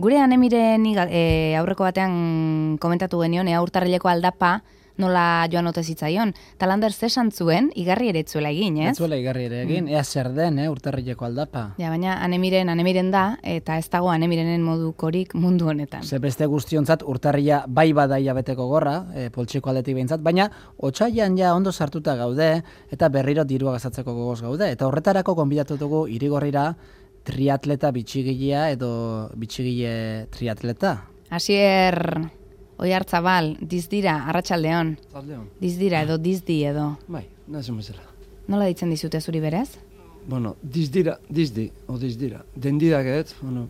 Gure Anemiren aurreko batean komentatu genion, urtarrileko aldapa nola joan ote zitzaion. Talander zesan zuen, igarri ere etzuela egin, ez? Etzuela igarri ere egin, ea zer den, urtarrileko aldapa. Ja, baina Anemiren da, eta ez dago Anemirenen modukorik mundu honetan. Ze beste guztiontzat urtarrila bai badaia beteko gorra, poltsiko aldetik behintzat, baina otsailean ja ondo sartuta gaude, eta berriro dirua gastatzeko gogoz gaude. Eta horretarako gonbidatu dugu Irigorrira triatleta bitxigilea edo bitxigile triatleta. Asier Oiartzabal, dizdira, arratsaldeon. Dizdira edo dizdi edo. Bai, nazun bezala. Nola ditzen dizute zuri berez? Bueno, dizdira, dizdira. Dendidak ez, bueno,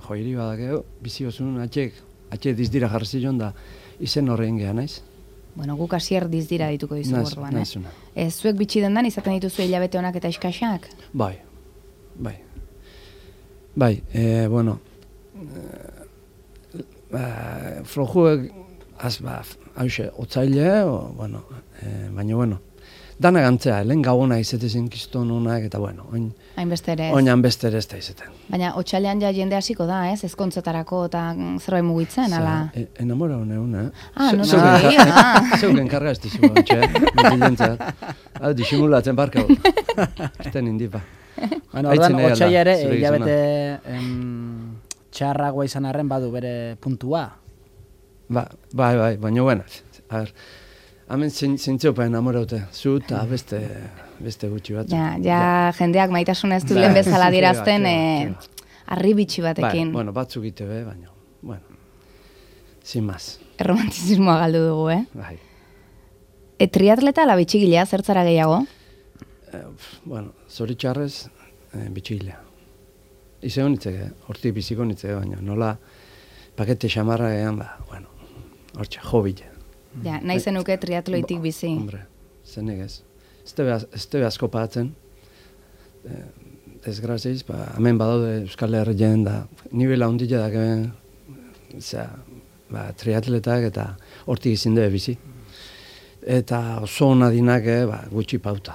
joiri badakeo, bizi osun, atxe dizdira jarri zion da, izen horrein geha naiz. Bueno, guk Asier dizdira dituko dizu orduan, Nazuna. Zuek bitxi dendan izaten dituzu hilabete honak eta iskaxak? Bai. Bueno, flojuek, hause, otzaile, baina, bueno, dana gantzea, lehen gauona izetezen kiston honak, eta, bueno, hainbeste ere ez. Oinan beste ere ez da izeten. Baina, otsailean ja jende hasiko da, ez? Ezkontzetarako eta zerbait mugitzen, ala? Enamora honeun, Zeuken karga ez dizu, mutilentzat. Disimulatzen barkau. Esten indipa. Bueno, ordan, otsaila ere, hilabete txarragoa izan arren badu bere puntua. Bai, baina buena. A ver, hemen zintziopa enamoraute, zu eta beste gutxi bat. Ja, jendeak maitasuna ez du lehen bezala dirazten, arri bitxi batekin. Bueno, batzuk ite be, baina, bueno, sin más. Erromantizismoa galdu dugu, Bai. Triatleta ala bitxigilea, zertzara gehiago? Bueno, zoritxarrez, bitxigilea. Ize honitzeke, hortik biziko honitzeke, baina nola pakete xamarra egan, bueno, hortxe, jobile. Ja, nahi zenuke triatloitik bizi. Hombre, zenik ez. Ez tebe asko pagatzen, desgraziz, hemen badaude Euskal Herrien da, nivela ondila da, triatletak eta hortik izin debe bizi. Eta oso hona dinak, gutxi pauta.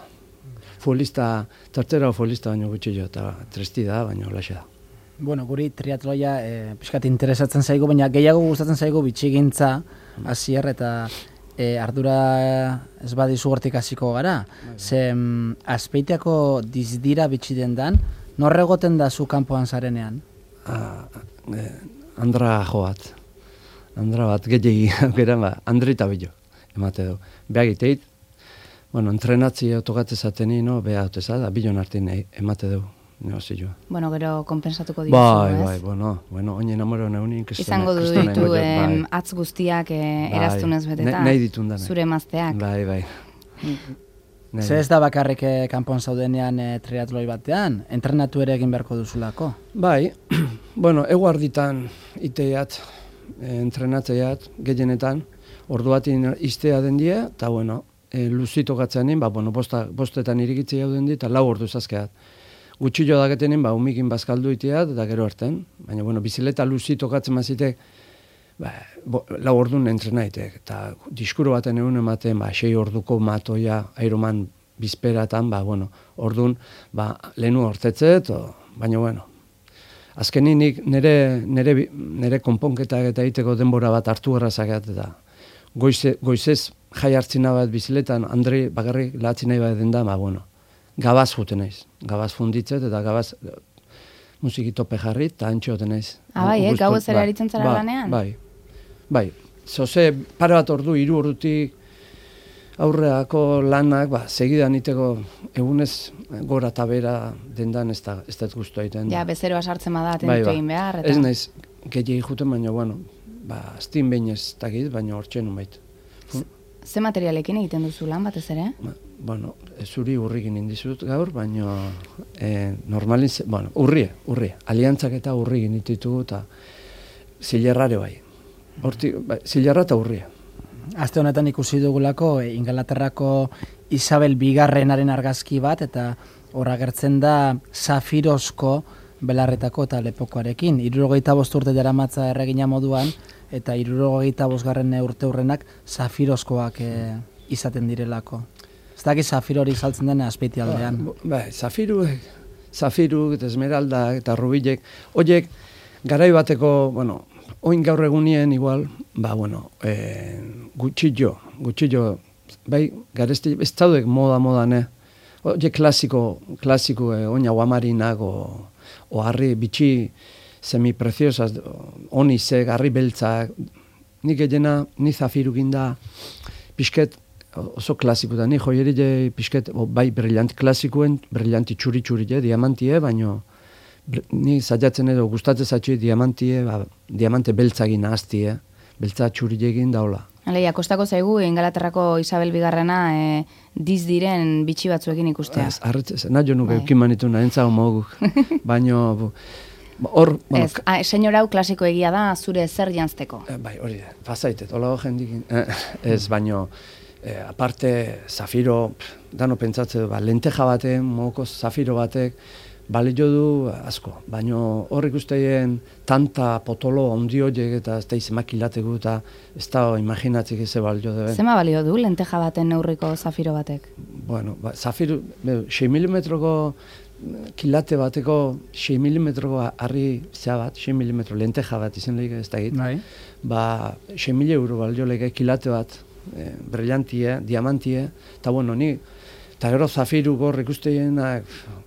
Tertzera futbolista baino gutxi jo, eta tresti da, baino laxe da. Bueno, guri triatloia pixkat interesatzen zaigu, baina gehiago gustatzen zaigu bitxigintza, Asier, eta ardura ez badizu hortik hasiko gara. Ze Azpeitiako dizdira bitxi dendan, norre egoten da zu kanpoan zarenean? Andra joat. Andra bat, gehiagi, Andri eta bilo, emate du. Beagiteit, bueno, entrenatzi autogatze zateni, beha hauteza, da bilon hartin emate dugu, negozioa. Bueno, gero kompensatuko dituzu, ez? Bueno, oin enamoro neunik. Izango du ditu atz guztiak eraztunez beteta. Nahi ditun dana. Zure emazteak. Bai. Ze ez da bakarrik kanpon zaudenean triatloi batean, entrenatu ere egin beharko duzulako? Bai, bueno, eguarditan iteiat, entrenatzeiat, gehienetan, orduatin iztea den die, eta bueno, luzito gatzeanin, bostetan irikitzi jauden dit, eta 4 ordu zazkeat. Gutxillo daketenin, umikin bazkaldu iteat, eta gero harten. Baina, bizileta luzito gatzen mazitek, 4 ordun entrenaitek. Eta diskuro baten egun ematen, 6 orduko matoia, Ironman bizperatan, ordun, lehenu hortetzet, baina, azkeninik nire konponketak eta egiteko denbora bat hartu errazakeat, eta goizez jai hartzina bat biziletan, Andri bakarrik lahatzi nahi bat den da, gabaz juten naiz. Gabaz funditzet eta gabaz musikitope jarri eta antxo juten naiz. Bai, gau ez ere aritzen zara lanean? Bai. Zoze, pare bat ordu, 3 ordutik aurreako lanak, segidan iteko egunez gora eta bera dendan ez da guztu egiten. Ja, bezeroa sartzen bada, atenditu egin behar. Ez naiz, gehiagik juten, baina, aztin behin ez dakit, baina hortxe nunbait. Ze materialekin egiten duzu lan batez ere? Zuri urrikin indizut gaur, baina normalin, urrie, aliantzak eta urrikin ditugu eta zilerrare bai. Zilerra eta urrie. Aste honetan ikusi dugulako Ingalaterrako Isabel Bigarrenaren argazki bat, eta hor agertzen da Zafirozko belarretako eta lepokoarekin. 75 urte daramatza erregina moduan, eta 75. urte hurrenak Zafirozkoak izaten direlako. Ez daki Zafiro hori saltzen den Azpeiti aldean. Zafiruk eta Esmeraldak eta Rubilek, horiek garai bateko, bueno, oin gaur egunien igual, gutxillo, bai, garesti, ez daudek moda, oie klasiko, oin aguamarinak, o harri bitxi semipreciosas, onizek, harri beltzak, nik egena, ni zafirukin da, pixket, oso klasiko da, ni joierile pixket, bai, brillanti klasikuen, brillanti txuri, diamantie, baino, ni zaiatzen edo, gustatzen zatxui diamante beltzagin ahaztie, beltza txurilegin daula. Aleia, kostako zaigu, Ingalaterrako Isabel Bigarrena diz diren bitxi batzuekin ikustea. Ez, arretzez, nahi jo nuke eukin manitu nahi entzau moguk. Baino, hor... Ez, senyora hau klasiko egia da, zure zer jantzteko. Bai, hori da, pasaitet, hola jendikin. Ez, baino, aparte, zafiro, dano pentsatze, lenteja batek, moko zafiro batek, balio du asko, baino hor ikusteien tanta potolo ondi horiek eta ez da izemakilatugu eta ez da imaginatzik eze balio duen. Zema balio du lenteja baten neurriko zafiro batek? Bueno, zafiro, 6 milimetroko kilate bateko 6 milimetroko harri zea bat, 6 milimetro lenteja bat izen lehik ez da egit. Bai. 6.000 euro balio lehik kilate bat, brillantie, diamantie, eta bueno, ni eta gero zafiru gor ikusteienak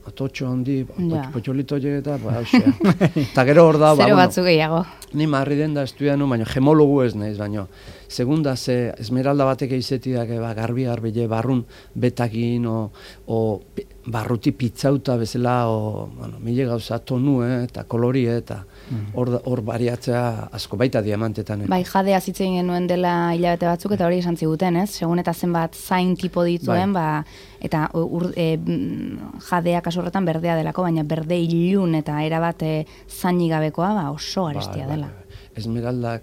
atotxo handi, potxolito eta hausea. Eta gero hor da... Zero batzuk gehiago. Ni marri den da estudianu, baina gemologu ez naiz, baina segunda ze esmeralda batek eizetiak garbi barrun betakin o barruti pitzauta bezala mile gauza tonu eta kolorie eta hor bariatzea asko baita diamantetan. Bai, jadea zitzen genuen dela hilabete batzuk eta hori esan ziguten, ez? Segun eta zenbat zain tipo dituen, eta jadea kasu horretan berdea delako, baina berde ilun eta erabat zainik gabekoa oso arestia dela. Esmeraldak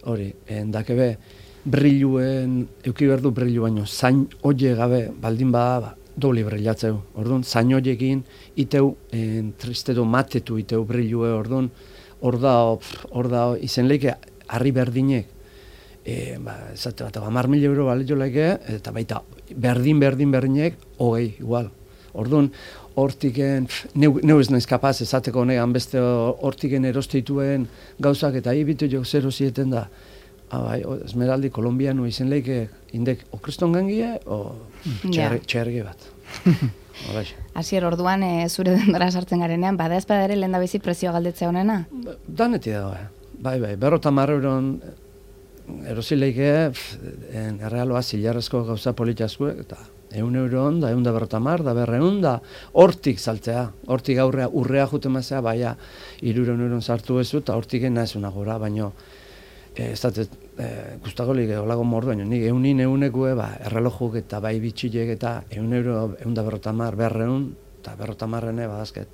hori, endakebe brilluen, euki berdu brillu baino, zain oie gabe baldin bada, dobli brillatzeu. Orduan, zain oiekin iteu, tristetu matetu iteu brillue, orduan, hor da, izen leike, harri berdinek, esate bat, 10.000 euro balio leike, eta baita, berdinek, hogei, igual. Orduan, hortiken, neu ez naiz kapaz esateko negan beste hortiken erostituen gauzak eta ibitu jo zero zieten da. Esmeraldi kolombiano izen leike indek o kriston gangie o txerge bat. Asier, orduan zure dendora sartzen garenean, bada ezpada ere lehen da bizi prezioa galdetzea honena? Daneti dago, bai, 50 euron erosileike errealoa zilarrezko gauza politiazko eta 100 euro da 150 da 200 da hortik saltzea, hortik urrea jute mazea, baina 300 euron sartu ezu eta hortik naizuna gora, baina ez da gustagolik olago mordu, baina nik eunekue errelojuk eta bai bitxilek eta 100 euro 150, 200 eta 250 badazket.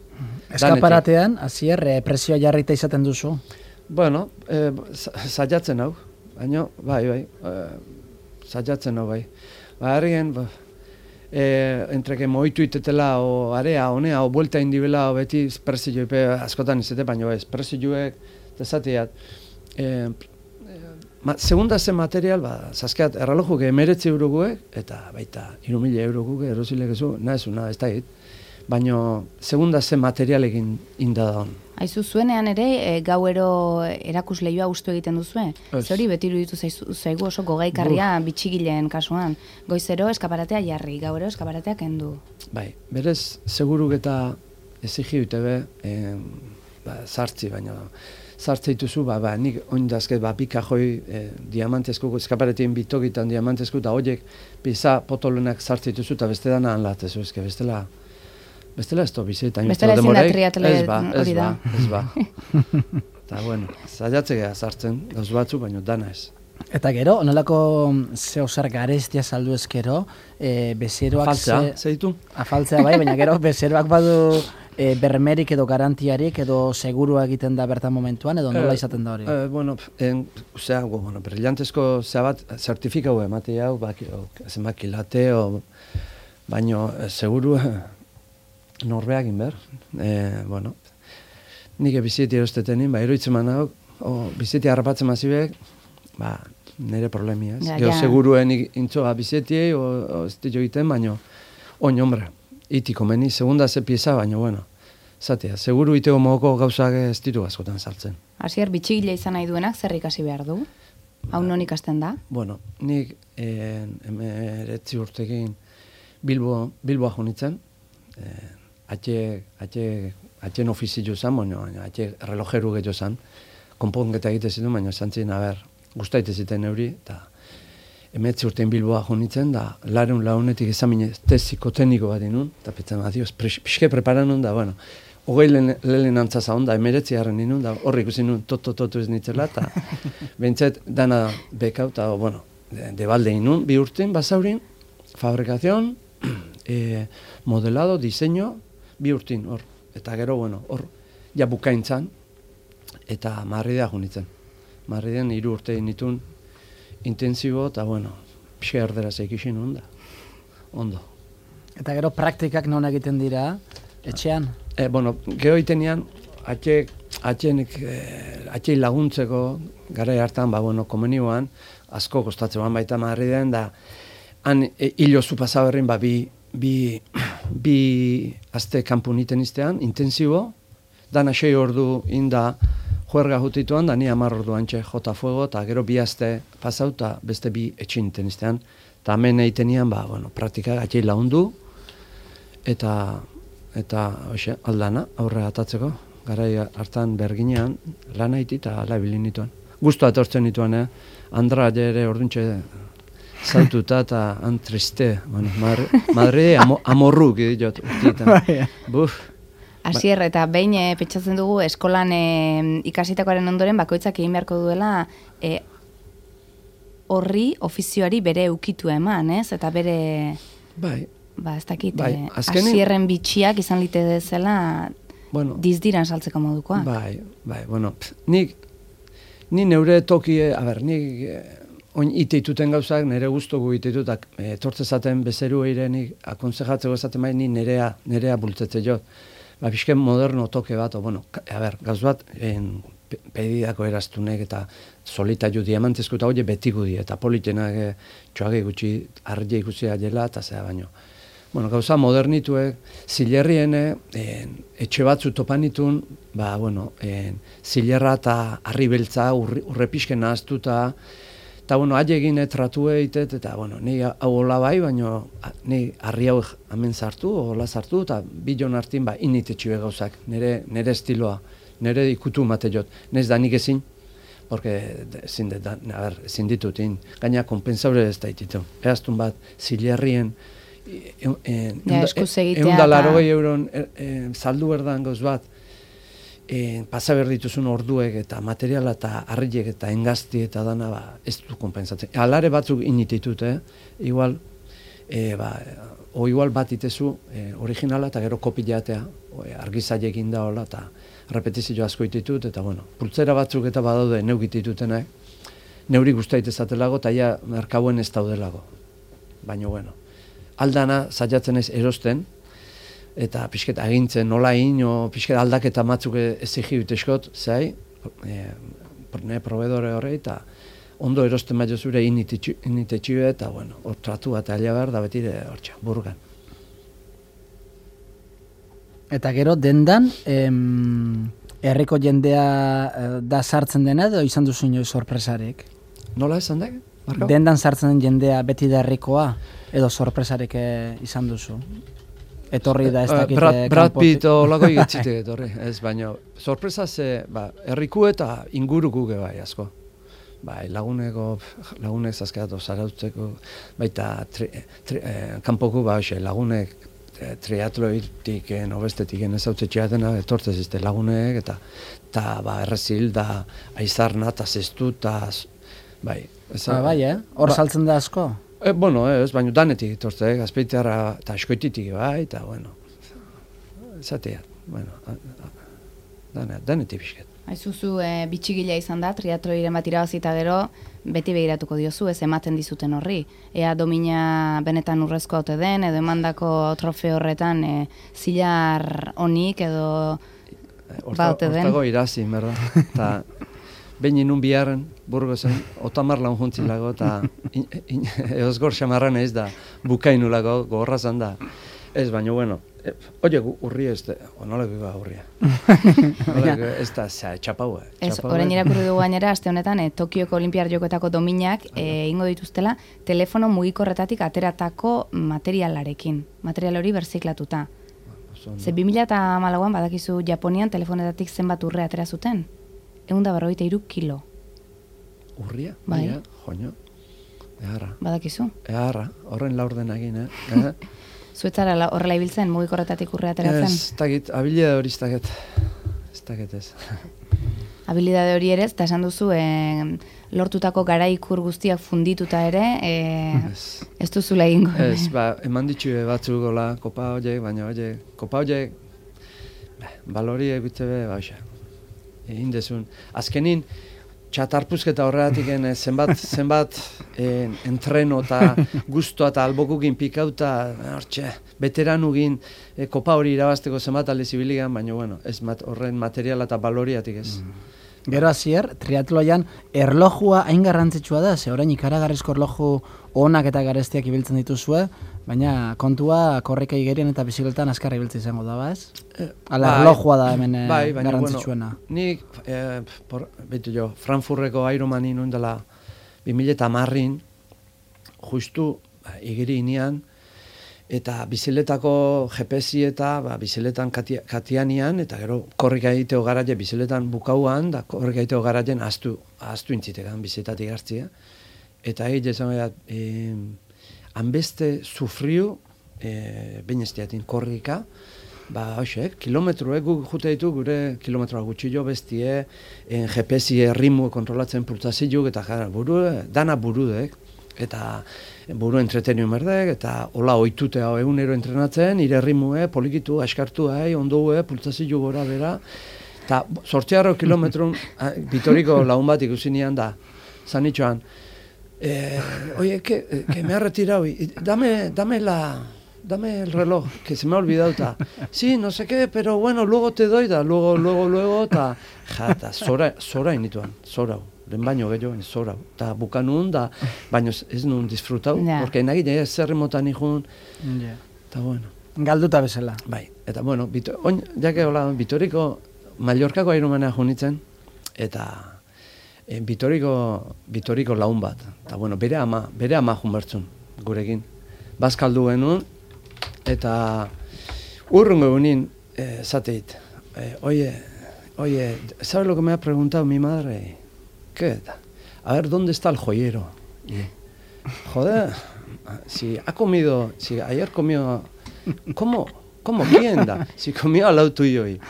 Eskaparatean, Asier, presioa jarrita izaten duzu? Bueno, saiatzen hau, baina bai, saiatzen hau bai. Herrien, entre que moitu itetela o area honea o vuelta indibela o beti prezio askotan izate baino ez prezioek desatiat segunda zen material zaskeat errelojuke 19 euroguek eta baita 3.000 euroguke erosilekezu naizuna ez da hit baino segunda zen materialekin inda da hon. Aizu zuenean ere gauero erakusleioa ustu egiten duzue? Zori beti iruditu zaigu oso gogaikarria bitxigileen kasuan. Goizero eskaparatea jarri, gauero eskaparatea kendu. Bai, berez seguruk eta ezigi utebe sartzi, baina sartze dituzu, nik oindazket pikajoi diamantezko, eskaparetien bitokitan diamantezko, eta horiek pisa potolonak sartze dituzu, eta beste dana anlatezu, bestela ez to bizitan. Bestela ezin da triatle hori da. Ez ba. Eta bueno, zaiatzea sartzen, gauz batzu, baina dana ez. Eta gero, onelako zehosar garestia saldu ezkero, bezeroak... Afaltzea, zeitu? Afaltzea bai, baina gero bezeroak badu bermerik edo garantiarik edo segurua egiten da bertan momentuan, edo nola izaten da hori? Brillantezko zea bat, zertifikau emate hau, zenbak kilate, baina seguru norbeak inber. Nik biziti erostetenin, eroitzen man hau, biziti harrapatzen mazibek, nire problemia, ez? Gero seguruen intzoa bizetiei, ez ditu egiten, baina, hombre, itiko meni, segunda ze pieza, baina, Zatea, seguru itego mogoko gauzak ez ditu askotan sartzen. Hasier, bitxigile izan nahi duenak zer ikasi behar du? Hau non ikasten da? Bueno, nik 19 urtekin Bilboa jo nintzen, atxen ofizio zan, baina atxe relojeru gehiago zan, konponketa egite zitu, baina zantzin, gustaite ziten euri, eta 19 urtein Bilboa jo nintzen, da launetik ezamine teziko-tekniko bat inun, eta petzen, adios, pixke preparan nun, da, bueno, hogei lehen antzaza onda, 19 harren inun, da horrik usin nun, toto ez nitzela, eta bentzet dana bekau, eta, bueno, debalde inun, 2 urtein, basaurin, fabrikazion, modelado, diseño, 2 urtein, hor, eta gero, bueno, hor, ja bukaintzan, eta Madridea jo nintzen. Madriden 3 urte nitun intensibo, eta, bueno, pixka erderaz ekisin nun da, ondo. Eta gero praktikak non egiten dira, etxean? Bueno, geho itenean, atxei laguntzeko, gara hartan, bueno, komenioan, asko kostatzean baita Madriden, da, han hilozu pasaberrin, bi aste kanpun iten iztean, intensibo, dana 6 ordu inda juerga jutituan, da ni 10 ordu antxe jota fuego, eta gero 2 aste pasau, eta beste 2 etxin iten iztean, eta hemen egitenian, bueno, praktikak atxei lagundu, eta hoxe, aldana, aurre atatzeko, garai hartan berginean, lan haiti eta labilin nituen. Guztua etortzen nituen, Andra ere orduntxe zaututa eta triste, bueno, Madre amorruk diot urtietan. Buf. Asier, eta behin pentsatzen dugu eskolan ikasitakoaren ondoren bakoitzak egin beharko duela horri ofizioari bere ukitu eman, ez? Eta bere... Bai. Ez dakit, Asierren bitxiak izan lite dezela dizdiran saltzeko modukoa. Bai, bueno, ni neure tokie, nik oin iteituten gauzak, nire guztogu iteitutak, etortzezaten bezeru eire nik akonsejatzeko ezaten bai, ni nerea bultzetze jo. Pixken moderno toke bat, gauz bat, pedidako eraztunek eta solitaiu diamantezko eta hori betigudi, eta politenak txoage gutxi, argi ikusi dela, eta zera baino. Bueno, gauza modernituek, zilerrien etxe batzu topanitun, zilerra eta harri beltza urre pixken nahaztuta, eta, haie egin tratue eitet, eta, ni hau hola bai, baina ni harri hau hemen sartu, hola sartu, eta bilon hartin, initetxue gauzak, nire estiloa, nire ikutu mate jot, nez da nik ezin, porque ezin ditut, gaina kompensaure ez da ititu. Eaztun bat, zilerrien, €180 saldu berdan gauz bat, pasa berdituzun orduek eta materiala eta harriek eta engazti eta dana ez du kompensatzen. Alare batzuk inititut, igual bat itezu originala eta gero kopilatea, argizailekin da hola eta repetizio asko ititut, eta pultzera batzuk eta badaude neugititutenak, neuri guztait ezatelago eta ja merkauen ez daudelago. Baina, aldana zaiatzen ez erosten, eta pixket agintzen nola ino, pixket aldaketa matzuk ezigibit eskot, zai, proveedore horre, eta ondo erosten maio zure initetxio eta, hor tratu bat alia behar da betire hortxa, burgan. Eta gero, dendan, herriko jendea da sartzen dena, edo izan duzu inoiz sorpresarek? Nola esan da? Dendan sartzen den jendea beti da herrikoa, edo sorpresarek izan duzu? Etorri da ez dakite kanpotik. Brad Pitt olako igetzitek etorri, ez baino. Sorpresa ze, herriku eta inguruku bai asko. Lagunek zazkeatu zarautzeko, baita kanpoku lagunek triatloitik, obestetik ezautetxeatena, etortzez izte lagunek, eta errezil da aizarna, eta zestu, eta bai. Hor saltzen da asko? Ez, baina danetik etortzek, azpeiteara eta eskoititik bai, eta, zatea, danetik bisket. Aizuzu, bitxigila izan da, triatloiren bat irabazita gero, beti begiratuko diozu, ez ematen dizuten horri. Ea domina benetan urrezko ote den, edo emandako trofe horretan zilar honik, edo baute den. Hortago irazi, berda. Eta behin inun biharren, Burgosen, otamar laun juntzilago, eta eozgor xamarran ez da, bukainulago, gorrazan da. Ez, baina, Oye, urria ez da, onoleko urria. Ez da, txapau. Ez, orain irakurri dugu gainera, aste honetan, Tokioko Olimpiar Jokoetako dominak ingo dituztela, telefono mugikorretatik ateratako materialarekin. Material hori berziklatuta. Ze 2008an badakizu Japonian telefonetatik zenbat urre atera zuten? 153 kilo. Urria? Bai. Joño. Eharra. Badakizu? Eharra, horren laurden egin, Zuetzara horrela ibiltzen, mugikorretatik urre ateratzen? Ez dakit, habilidade hori ez dakit ez. Habilidade hori ere, eta esan duzu, lortutako garaikur guztiak fundituta ere, ez duzula egingo. Ez, eman ditxue batzuk gola, kopa horiek, baina kopa horiek, balori egite be, egin dezun. Azkenin, txatarpuzketa horretik zenbat entreno eta guztua eta albokukin pikauta, veteranugin kopa hori irabazteko zenbat alde zibiligan, baina bueno, ez horren materiala eta baloriatik ez. Gero azier, triatloian erlojua hain garrantzitsua da, ze orain ikaragarrizko erloju onak eta garestiak ibiltzen dituzue, baina kontua korrika igerien eta bizikletan azkarra ibiltzen izango da, ez? Erlojua da hemen garrantzitsuena. Nik, behitu jo, Frankfurteko Ironmani nuen dela 2010-in, justu igeri inean, eta biziletako GPS eta biziletan katianian, eta gero korrika egiteo garaje biziletan bukauan, da korrika egiteo garajen astu intzitegan bizitatik hartzia. Eta egite esan behar, hanbeste sufriu, bain ez diatin korrika, kilometro, guk jute ditu gure kilometroa gutxillo bestie, GPS ritmo kontrolatzen pulsazioak, eta dana burudek, eta buru entreteniu merdek, eta hola oitute hau egunero entrenatzen, ire ritmue, polikitu, askartu, ondoue, pulsazio gora bera, eta 8 kilometrun, Bitoriko lagun bat ikusinean da, zanitxoan, oye, que me ha retirado, dame el reloj, que se me ha olvidado, sí, no sé qué, pero bueno, luego te doy, luego, eta zora inituan, zora, den baino gehiago, zora, eta bukanun, baino ez nun disfrutau, porque nagile zerri motan ikun, eta bueno. Galduta bezala. Bai, eta bueno, jake hola, Bitoriko, Mallorcako Ironmana junitzen, eta Bitoriko laun bat, eta bueno, bere ama junbertzun, gurekin. Bazkaldu genuen, eta urrungo egunin, zateit, oye, ¿sabes lo que me ha preguntado mi madre? ¿Qué? A ver, ¿dónde está el joyero? Joder, si ayer comió, ¿cómo? ¿Quién da? Si comió al lado tuyo y...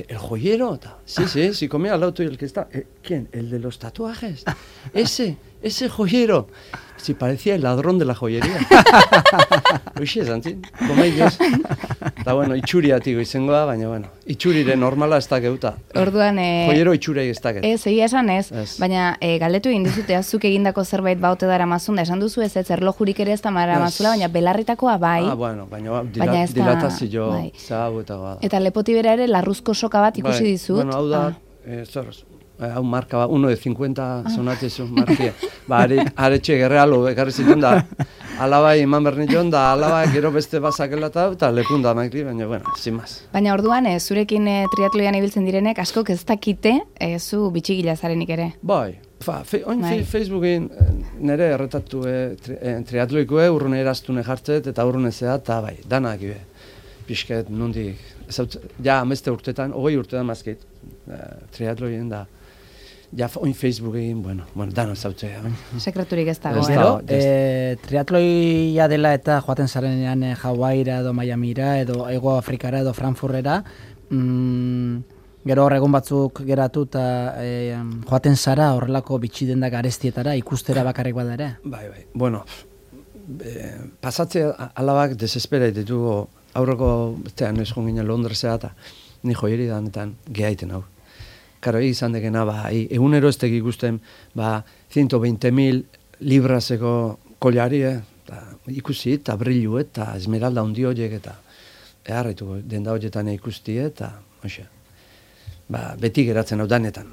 ¿El joyero? Sí, si comía al lado tuyo el que está... ¿Quién? ¿El de los tatuajes? Ese joyero. Si parecía el ladrón de la joyería. Uixe, zantzin, gomai dios. Eta bueno, itxuriatik izangoa, baina bueno, itxurire normala ez dakeuta. Orduan... Joyero itxurei ez daket. Ez, egia esan ez, baina galdetu egin dizute, azuk egindako zerbait baute dara mazun, da esan duzu ez erlojurik ere ez da mara mazula, baina belarritakoa bai. Bueno, baina dilatazio zaguetagoa da. Eta lepotibera ere larruzko soka bat ikusi dizut. Bueno, hau da, hau marka bat, 1 de 50 zonatzezu markia. Aretxe gerrealo ekarri zituen da, alabai eman berniton da, alabai gero beste bazakela eta lepunda maikri, baina, bueno, sin más. Baina orduan, zurekin triatloian ibiltzen direnek, askok ez dakite, zu bitxigila zarenik ere. Bai, Facebookin nire erretatu triatloikoe, urrune eraztune jartzet, eta urrune zea, eta bai, danak ibe. Pisket, nondik, ja, ameste urtetan, 20 urtetan mazkeit, triatloien da. Ja, oin Facebookin, bueno, dano zautzea. Sekreturik ez dago. Triatloia dela eta joaten zarenean Hawaira edo Miamira edo Hego Afrikara edo Frankfurtera, gero horregun batzuk geratu eta joaten zara horrelako bitxiden da garestietara, ikustera bakarrik bada ere? Bai. Bueno, pasatzea alabak desespera ditugu aurreko, bestean ez jonginen Londresea eta ni joieri danetan gehaiten hau. Karo, izan dekena, egunero ez teki ikusten, 120.000 libraseko kollari, ikusi, eta brillu, eta esmeralda hundi horiek, eta eharretuko, denda horietan ikusti, eta, beti geratzen hau danetan.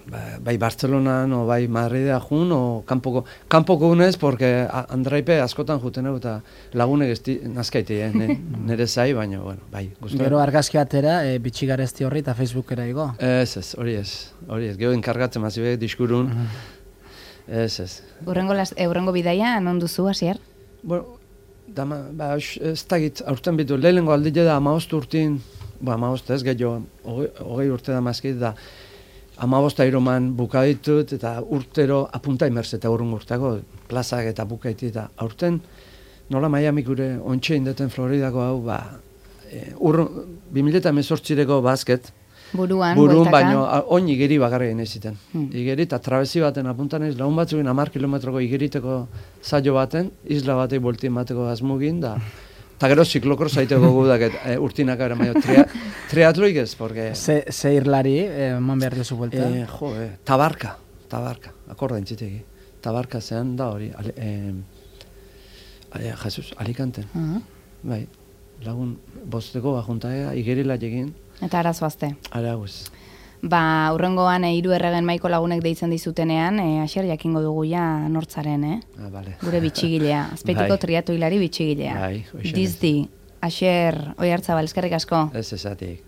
Bai Bartzelonan, o bai Madridea jun, o kanpoko unez, porque Andraipe askotan juten hau, eta lagunek nazkaite, nire zai, baina, bueno, bai. Gero argazki batera, bitxigarezti horri eta Facebookera igo? Hori ez. Gero enkargatzen mazibek diskurun, Urrengo bidaia, non duzu, Asier? Bueno, ez dagit, aurten bitu, lehenengo aldile da 15 urtin, 15 ez, gehiago, 20 urte da mazkit, da 15 iroman bukaditut, eta urtero apunta imerz, eta urtako plazak eta bukaiti, eta aurten, nola Miami gure ontxe indeten Floridako hau, 2018ko basket, Buruan, baino, oin igeri bakarri egin eziten. Igeri eta trabezi baten apuntan ez, lagun batzukin 10 kilometroko igeriteko zailo baten, isla batei boltien bateko azmugin, da, eta gero ziklokroz zaiteko gudak, urtinak gara maio, triatloik ez, porque... Ze irlari, man behar duzu buelta? Tabarka, akorda entzitegi. Tabarka zean da hori, Jesus, Alicanten. Bai, lagun bosteko bajuntaea, igerila egin. Eta arazoazte. Aragoz. Urrengoan 3 erregen maiko lagunek deitzen dizutenean, Asier jakingo dugu ja nortzaren, Vale. Gure bitxigilea, azpeitiko triatoilari bitxigilea. Bai, Dizdi, Asier, Oiartzabal, eskerrik asko. Ez esatik.